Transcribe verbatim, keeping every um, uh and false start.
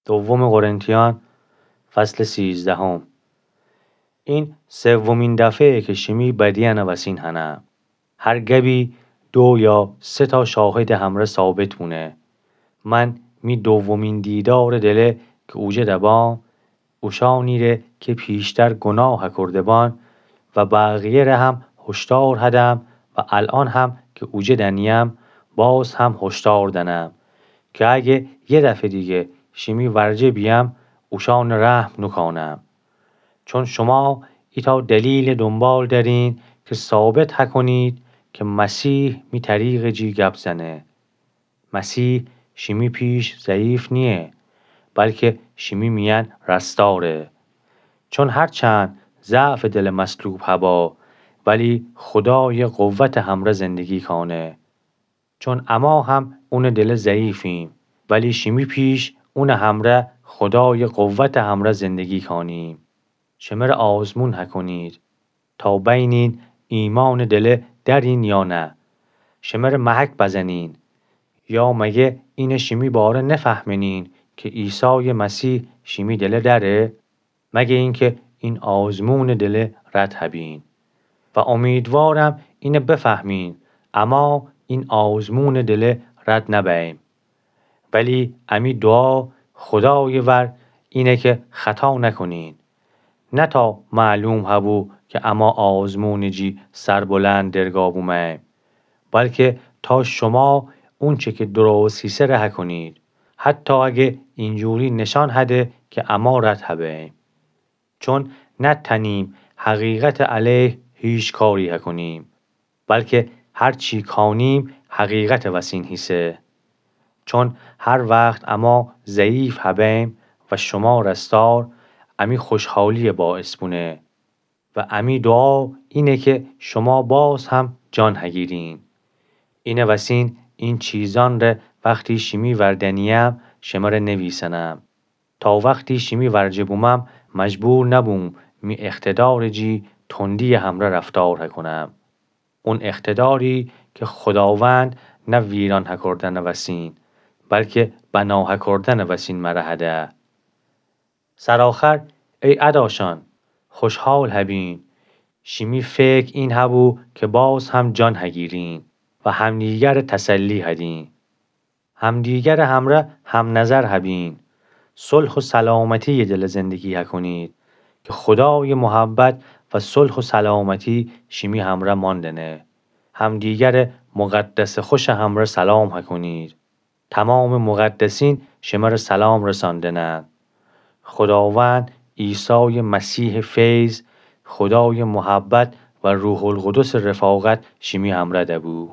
دوم قرنتیان، فصل سیزدهم. این سومین دفعه که شیمی بدیأنٚ وسین هنم. هر گبی دو یا سه تا شاهدٚ همرأ ثابت بونه. من می دومین دیدارٚ دله که اوجه دبام، اوشأنیره که پیشتر گناه کرده‌بان و بقیه‌ره هم هشدار هدم و الأن هم که اوجه دنیم، باز هم هشدار دنم که اگه یه دفعه دیگه شیمی ورجه بیم، اوشأنٚ رحم نوکانم. چون شما ایتأ دلیل دونبال دأرین که ثابت هکنید که مسیح می طریقٚ جی گپ زنه. مسیح شیمی پیش ضعیف نییه، بلکه شیمی میأن رستاره. چون هرچند ضعفٚ دلٚ مصلوب هبا، ولی خودایٚ قوتٚ همرأ زندگی کانه. چون اما هم اونٚ دله ضعیفیم، ولی شیمی پیش اونٚ همرأ خودایٚ قوتٚ همرأ زندگی کانیم. شمره آزمون هکنید تا بینین ایمانٚ دله دأرین یا نه. شمره محک بزنین. یا مگه اینه شیمی باره نفهمنین که عیسایٚ مسیح شیمی دله دأره؟ مگه اینکه این آزمونٚ دله رد هبین. و امیدوارم اینه بفهمین، اما این آزمونٚ دله رد نبیم. ولی امی دوعا خودایٚ ور اینه که خطا نکنین. نه تا معلوم هبو که اما آزمونٚ جی سربلند درگا بومیم، بلکه تا شما اونچه که درست هیسه ره هکنید، حتی اگه اینجوری نشان هده که اما رد هبیم. چون نتأنیم حقیقتٚ علیه هیچ کاری هکنیم، بلکه هرچی کانیم حقیقتٚ وسین هیسه. چون هر وخت اما ضعیف هبیم و شما رستار، امی خوشحالیٚ باعث بونه. و امی دوعا اینه که شما باز هم جان هگیرین. اینه وسین این چیزأن ره وختی شیمی ور دنیم شمره نویسنم، تا وختی شیمی ورجه بومم مجبور نبوم می اقتدارٚ جی تندی‌یٚ همرأ رفتار هکنم. اون اقتداری که خوداوند نه ویران هکردنٚ وسین، بلکه بنا هکردنٚ وسین مره هده. سرآخر، ای اداشأن، خوشحال هبین. شیمی فکر این هبو که باز هم جان هگیرین و همدیگره تسلی هدین. همدیگرٚ همرأ همنظر هبین. صلح و سلامتی‌یٚ دله زندگی هکنید که خودایٚ محبت و صلح و سلامتی شیمی همرأ ماندنه. همدیگره مقدسٚ خوشٚ همرأ سلام هکنید. تمامٚ مقدسین شمره سلام رساندنند. خوداوند عیسایٚ مسیحٚ فیض، خودایٚ محبت و روح‌القدسٚ رفاقت شیمی همرأ دبو.